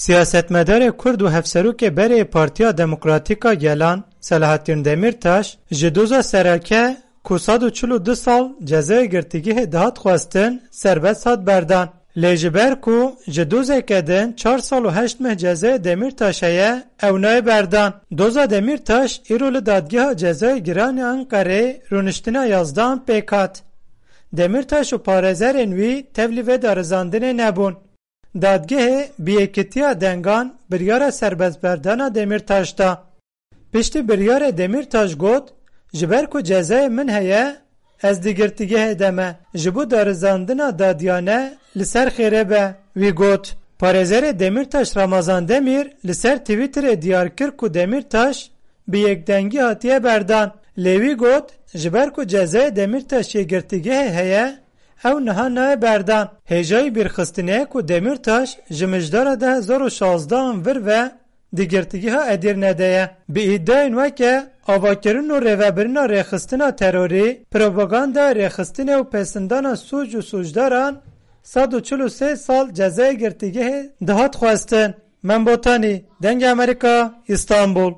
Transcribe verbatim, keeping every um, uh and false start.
Siyasetmedarê Kurd û hevserokê berê Partiya Demokratîk a Gelan, Selahattin Demirtaş, ji doza sereke ku sed û çil û du sal cezayê girtîgehê dihat xwestin, serbest hat berdan. Lê ji ber ku ji dozeke din çar sal û heşt meh cezayê Demirtaş heye, ew nayê berdan. Doza Demirtaş îro li Dadgeha Cezayê Giran ya Enqerê rûniştina yazdehan pêk hat. Demirtaş û parêzerên wî tevlî vê darizandinê nebûn. Dadgehê bi yekitiya dengan biryara serbestberdana Demirtaş da. Piştî biryarê Demirtaş got, ji ber ku cezayê min heye, ez di girtîgehê de me, ji bo darizandina dadiyane li ser xêre be. Wî got. Parêzerê Demirtaş Ramazan Demîr li ser Twitterê diyar kir ku Demirtaş bi yekdengî hatiye berdan. Lê wî got, ji ber ku cezayê Demirtaş yê girtîgehê heye, ew niha nayê berdan. Hêjayî bîrxistinê ye ku Demirtaş ji mijdara du hezar û şazdehan vir ve di girtîgeha Edîrne de ye. Bi îdiayên weke avakirin û rêvebirina rêxistina terorî, propagandaya rêxistinê û pesindana sûc û sûcdaran sed û çil û sê sal cezayê girtîgehê dihat xwestin. Mem Botanî, Dengê Amerîka, Îstanbul.